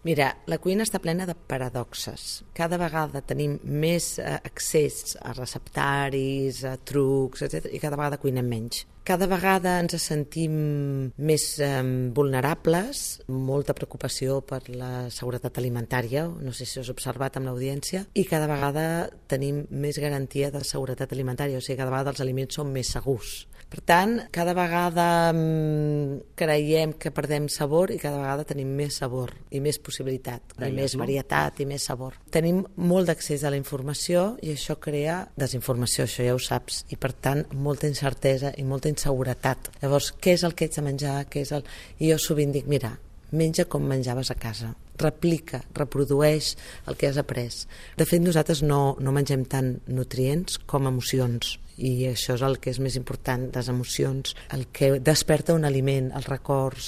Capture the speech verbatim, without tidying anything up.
Mira, la cuina està plena de paradoxes. Cada vegada tenim més eh, accés a receptaris, a trucs, etcètera, i cada vegada cuinem menys. Cada vegada ens sentim més eh, vulnerables, molta preocupació per la seguretat alimentària, no sé si us heu observat amb l'audiència, i cada vegada tenim més garantia de seguretat alimentària, o sigui, cada vegada els aliments són més segurs. Per tant, cada vegada mm, creiem que perdem sabor i cada vegada tenim més sabor i més possibilitat, i més varietat i més sabor. Tenim molt d'accés a la informació i això crea desinformació, això ja ho saps, i per tant molta incertesa i molta inseguretat. Llavors, què és el que ets de menjar? Què és el... I jo sovint dic, mira, menja com menjaves a casa, replica, reprodueix el que has après. De fet, nosaltres no, no mengem tant nutrients com emocions, i això és el que és més important, les emocions, el que desperta un aliment, els records,